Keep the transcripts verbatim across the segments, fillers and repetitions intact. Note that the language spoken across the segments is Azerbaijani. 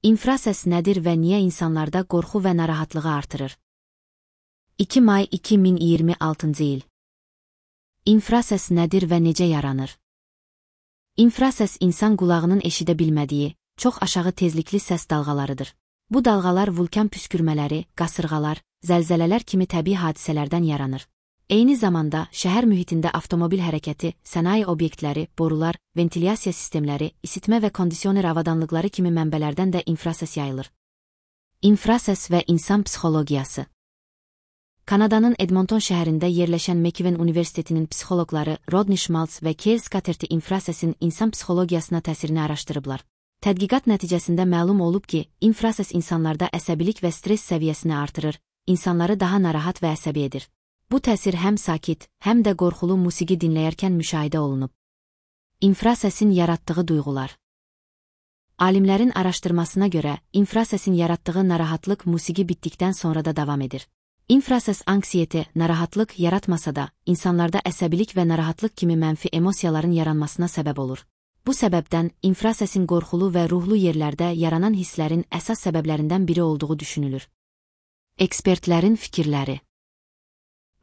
İnfrasəs nədir və niyə insanlarda qorxu və narahatlığı artırır? iki may iki min iyirmi altıncı il. İnfrasəs nədir və necə yaranır? İnfrasəs insan qulağının eşidə bilmədiyi, çox aşağı tezlikli səs dalğalarıdır. Bu dalğalar vulkan püskürmələri, qasırğalar, zəlzələlər kimi təbii hadisələrdən yaranır. Eyni zamanda şəhər mühitində avtomobil hərəkəti, sənaye obyektləri, borular, ventilyasiya sistemləri, isitmə və kondisioner avadanlıqları kimi mənbələrdən də infrasəs yayılır. İnfrasəs və insan psixologiyası. Kanadanın Edmonton şəhərində yerləşən McEwen Universitetinin psixoloqları Rodney Schmaltz və Kale Scatterty infrasəsin insan psixologiyasına təsirini araşdırıblar. Tədqiqat nəticəsində məlum olub ki, infrasəs insanlarda əsəbilik və stres səviyyəsini artırır, insanları daha narahat və əsəbi edir. Bu təsir həm sakit, həm də qorxulu musiqi dinləyərkən müşahidə olunub. İnfrasəsin yaratdığı duyğular. Alimlərin araşdırmasına görə, infrasəsin yaratdığı narahatlıq musiqi bitdikdən sonra da davam edir. İnfrasəs anksiyete, narahatlıq yaratmasa da, insanlarda əsəbilik və narahatlıq kimi mənfi emosiyaların yaranmasına səbəb olur. Bu səbəbdən, infrasəsin qorxulu və ruhlu yerlərdə yaranan hisslərin əsas səbəblərindən biri olduğu düşünülür. Ekspertlərin fikirləri.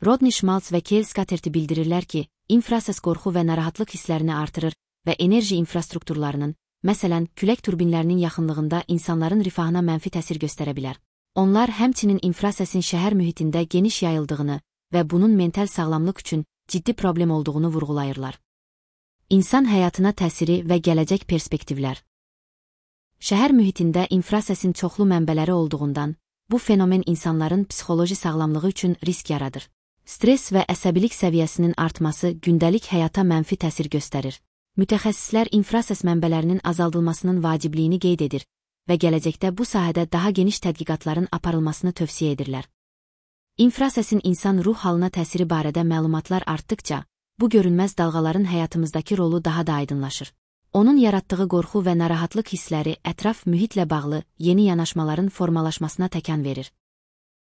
Rodney Schmaltz və Kale Scatterty bildirirlər ki, infrasəs qorxu və narahatlıq hisslərini artırır və enerji infrastrukturlarının, məsələn, külək turbinlərinin yaxınlığında insanların rifahına mənfi təsir göstərə bilər. Onlar həmçinin infrasəsin şəhər mühitində geniş yayıldığını və bunun mental sağlamlıq üçün ciddi problem olduğunu vurğulayırlar. İnsan həyatına təsiri və gələcək perspektivlər. Şəhər mühitində infrasəsin çoxlu mənbələri olduğundan, bu fenomen insanların psixoloji sağlamlığı üçün risk yaradır. Stres və əsəbilik səviyyəsinin artması gündəlik həyata mənfi təsir göstərir. Mütəxəssislər infrasəs mənbələrinin azaldılmasının vacibliyini qeyd edir və gələcəkdə bu sahədə daha geniş tədqiqatların aparılmasını tövsiyə edirlər. İnfrasəsin insan ruh halına təsiri barədə məlumatlar artdıkca, bu görünməz dalğaların həyatımızdakı rolu daha da aydınlaşır. Onun yaratdığı qorxu və narahatlıq hissləri ətraf mühitlə bağlı yeni yanaşmaların formalaşmasına təkan verir.